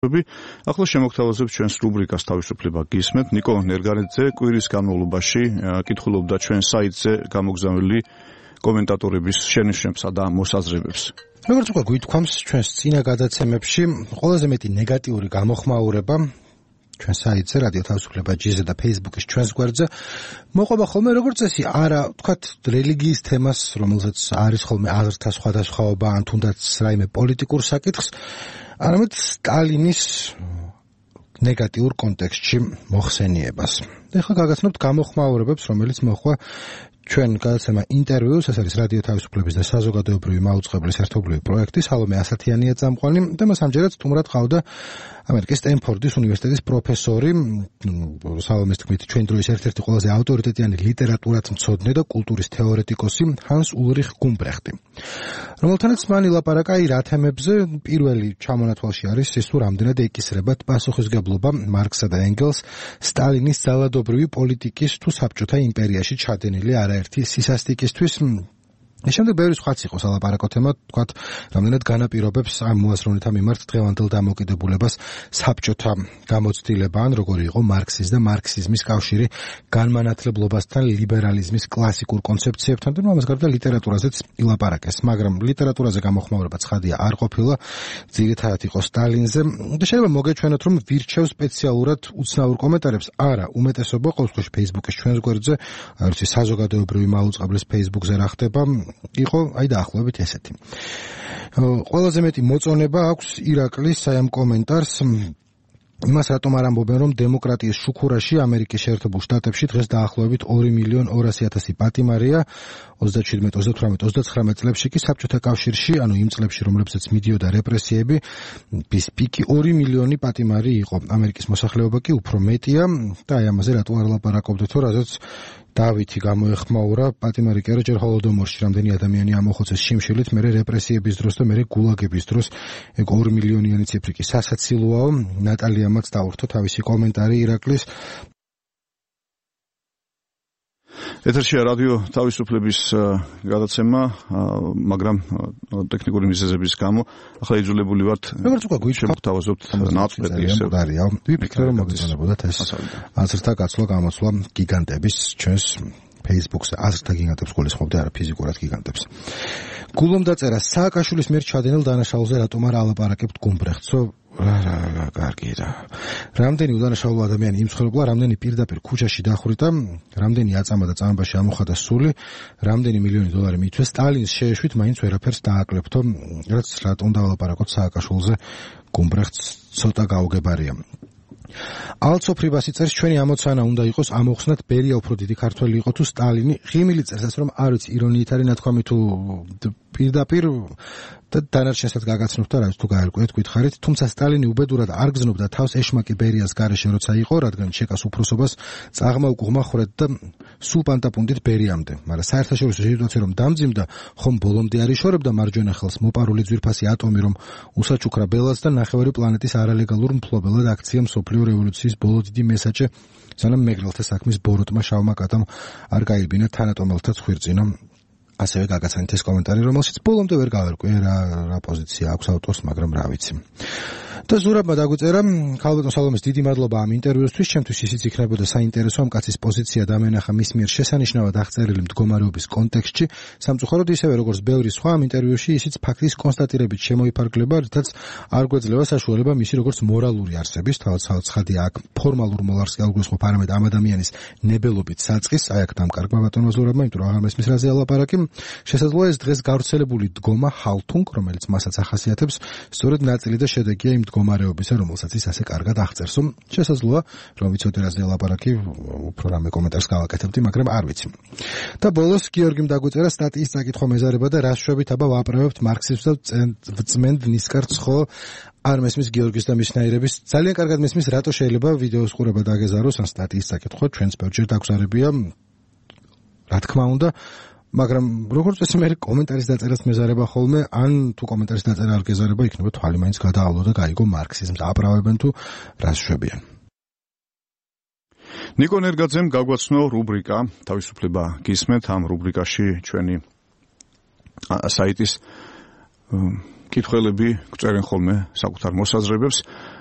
ახლა შემოგთავაზებთ ჩვენს რუბრიკას თავისუფლება გისმენთ. ნიკო ნერგანიძე კვირის განმავლობაში კითხულობდა ჩვენ საიტზე გამოგზავნილი კომენტატორების შენიშვნებსა და მოსაზრებებს. როგორც უკვე გვითქვამს ჩვენს წინა გადაცემებში, ყველაზე მეტი ნეგატიური გამოხმაურება ჩვენ საიტზე რადიო თავისუფლება GZ და Facebook-ის ჩვენს გვერდზე მოყვება ხოლმე როგორც წესი, არა, ვთქვათ, რელიგიის თემას, რომელზეც არის ხოლმე აზრთა სხვადასხვაობა, ან თუნდაც რაიმე პოლიტიკურ საკითხს, არამედ სტალინის ნეგატიურ კონტექსტში მოხსენიებას. ეხლა გაგაცნობთ გამოხმაურებებს, რომელიც მოხდა ჩვენ გადაცემა ინტერვიუს, ეს არის რადიო თავისუფლების და საზოგადოებრივი მაუწყებლის ერთობლივი პროექტი, სალომე ასათიანია წამყვანი და მას ამჯერად სტუმრად ყავდა ამერიკის სტენფორდის უნივერსიტეტის პროფესორი, სალომეს თქმით, ჩვენ დროის ერთ-ერთი ყველაზე ავტორიტეტიანი ლიტერატურათმცოდნე და კულტურის თეორეტიკოსი ჰანს ულრიხ გუმბრეხტი. რომელთანაც მან ილაპარაკა რა თემებზე, პირველი ჩამონათვალში არის ის, თუ რამდენად ეკისრებათ პასუხისგებლობა მარქსა და ენგელს სტალინის ძალადობრივი პოლიტიკის თუ საბჭოთა იმპერიაში ჩადენილი არაერთი სისასტიკისთვის. შემდეგ ბევრი სხვაც იყო სალაპარაკო თემა, თქვათ, რამდენად განაპირობებს ამ მოაზროვნეთა მიმართ დღევანდელ დამოკიდებულებას საბჭოთა გამოცდილება, ან როგორი იყო მარქსის და მარქსიზმის კავშირი განმანათლებლობასთან, ლიბერალიზმის კლასიკურ კონცეფციებთან და ამას გარდა ლიტერატურაზეც ილაპარაკეს, მაგრამ ლიტერატურაზე გამოხმაურება ცხადია არ ყოფილა, ძირითადად იყო სტალინზე და შეიძლება მოგეჩვენოთ, რომ ვირჩევ სპეციალურად უცნაურ კომენტარებს, არა, უმეტესობა ყოველთვის Facebook-ის ჩვენს გვერდზე, არის საზოგადოებრივი მაუწყებლის Facebook-ზე რა ხდება, იყო დაახლოებით ესეთი. ყველაზე მეტი მოწონება აქვს ირაკლის ამ კომენტარს იმას რატომ არ ამბობენ, რომ დემოკრატიის შუქურაში ამერიკის შეერთებულ შტატებში დღეს დაახლოებით 2.200.000 პატიმარია 27, 38, 39 წლებში კი საბჭოთა კავშირში, ანუ იმ წლებში, რომლებსაც მიდიოდა რეპრესიები, პიკი 2 მილიონი პატიმარი იყო. ამერიკის მოსახლეობა კი უფრო მეტია და ამაზე რატო არ ლაპარაკობდეთ, რადგან დავითი გამოეხმაურა პატიმარი კი არა ჯერ ჰოლოდომორში რამდენი ადამიანი ამოხოცეს შიმშილით, მერე რეპრესიების დროს და მერე გულაგების დროს, ეგ 2 მილიონიანი ციფრი კი სასაცილოა. ნატალიამაც დაურთო თავისი კომენტარი ირაკლის. ეთერშია რადიო თავისუფლების გადაცემა, მაგრამ ტექნიკური მიზეზების გამო ახლა იძულებული ვართ შემოგთავაზობთ ნაწყვეტი ისე. ვიფიქრე, რომ მოგეწონებოდათ ეს აზრთა გაცვლა გამოცვლა გიგანტების ჩვენს Facebook-ზე, აზრთა გიგანტებს გულისხმობდი, არა ფიზიკურად გიგანტებს. გულომ დაწერა სააკაშვილის მიერ ჩადენილ დანაშაულზე რატომ არ ალაპარაკებთ გუმბრეხტსო? კარგი რა. რამდენი უდანაშაულო ადამიანი იმცხოვრებლა, რამდენი პირდაპირ ქუჩაში დახვრიტა, რამდენი აწამა და წამებაში ამოხადა სული, რამდენი მილიონი დოლარი მიიწვეს სტალინის შეეშვით, მაინც ვერაფერს დააკლებთო, რაც რატომ დავალაპარაკოთ სააკაშვილზე გუმბრეხტს ცოტა გაუგებარია. ალცოფრიბასი წერს, ჩვენი ამოცანა უნდა იყოს ამოხსნათ ბერია უფრო დიდი ქართველი იყო თუ სტალინი. ღიმილი წერსაც, რომ არ ვიცი ირონიით არის ნათქვამი თუ პირდაპირ და დანარჩენსაც გაგაცნობთ და რაც თუ გაერკვეთ გითხარით, თუმცა სტალინი უბედურად არ გზნობდა თავს ეშმაკი ბერიას გარეშე როცა იყო, რადგან ჩეკას უფროსობას წაღმა უკუღმა ხრედ და სულ პანტაპუნდით ბერიამდე. მაგრამ საერთაშორისო სიტუაცია რომ დამძიმდა, ხომ ბოლომდე არ იშორებდა მარჯვენა ხელს მოპარული ძვირფასი ატომი, რომ უსაჩუქრა ბელას და ნახევარი პლანეტის არალეგალურ მფლობელად აქცია მსოფლიო რევოლუციის ბოლო დიდი მესაჯი, სანამ მეგრელთა საქმის ბოროტმა შავმა კატამ არ გაიბინა თანატომელთა ცხვირწინო. ასევე გაგაცანით ეს კომენტარი, რომელშიც ბოლომდე ვერ გავერკვე რა პოზიცია აქვს ავტორს, მაგრამ რა ვიცი. და ზურაბმა დაგვიწერა, ქალბატონ სალომეს დიდი მადლობა ამ ინტერვიუსთვის, ჩემთვის ისიც იქნებოდა საინტერესო ამ კაცის პოზიცია დამენახა მის მიერ შესანიშნავად აღწერილი მდგომარეობის კონტექსტში, სამწუხაროდ ისევე როგორც ბევრი სხვა ამ ინტერვიუში ისიც ფაქტის კონსტატირებით შემოიფარგლება, რითაც არ გვეძლევა საშუალება მისი როგორც მორალური არსების, თავად ცხადია აქ ფორმალურ მოლარს კი არ გვესხმობ, არამედ ამ ადამიანის ნებელობით საწყის, აი აქ დამკარგმა ბატონმა ზურაბმა, იმიტომ რომ აღარ მესმის რაზე ალაპარაკი. შესაძლოა ეს დღეს გავრცელებული დგომა ჰალთუნგ, რომელიც მასაც ახასიათებს, სწორედ ნაწილი და შედეგია იმ მდგომარეობისა, რომელსაც ის ასე კარგად აღწერს. შესაძლოა, რომ ვიცოდე რაზე ლაპარაკი, უფრო რამე კომენტარს გავაკეთებდი, მაგრამ არ ვიცი. და ბოლოს გიორგიმ დაგვიწერა სტატიის წაკითხვა მეზარება და რა შვებით აბა ვაპრევებთ მარქსიზმს და ვწმენთ ნისკარტს, ხო? არ მესმის გიორგის და მისნაირების, ძალიან კარგად მესმის, რატო შეიძლება ვიდეოს ყურება დაგეზაროს, ან სტატიის წაკითხვა ჩვენს ბევრჯერ დაგვზარებია, რა თქმა უნდა. მაგრამ როგორც წესი მე კომენტარის დაწერას მეზარება ხოლმე, ან თუ კომენტარის დაწერა არ გეზარება, იქნება თვალი მაინც გადაავლო და გაიგო მარქსიზმს აპრავებენ თუ რას შვებიან. ნიკო ნერგაძემ გაგვაცნო რუბრიკა თავისუფლება გისმენთ. ამ რუბრიკაში ჩვენი საიტის კითხველები გწერენ ხოლმე საკუთარ მოსაზრებებს.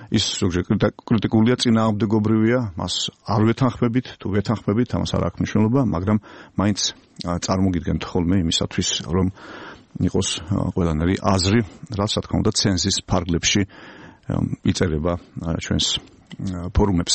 ის ზოგჯერ კრიტიკულია, წინააღმდეგობრივია, მას არ ვეთანხმებით, თუ ვეთანხმებით, ამას არ აქვს მნიშვნელობა, მაგრამ მაინც წარმოგიდგენთ ხოლმე იმისათვის, რომ იყოს ყველანაირი აზრი, რაც რა თქმა უნდა ცენზის ფარგლებში იწერება ჩვენს ფორუმებზე.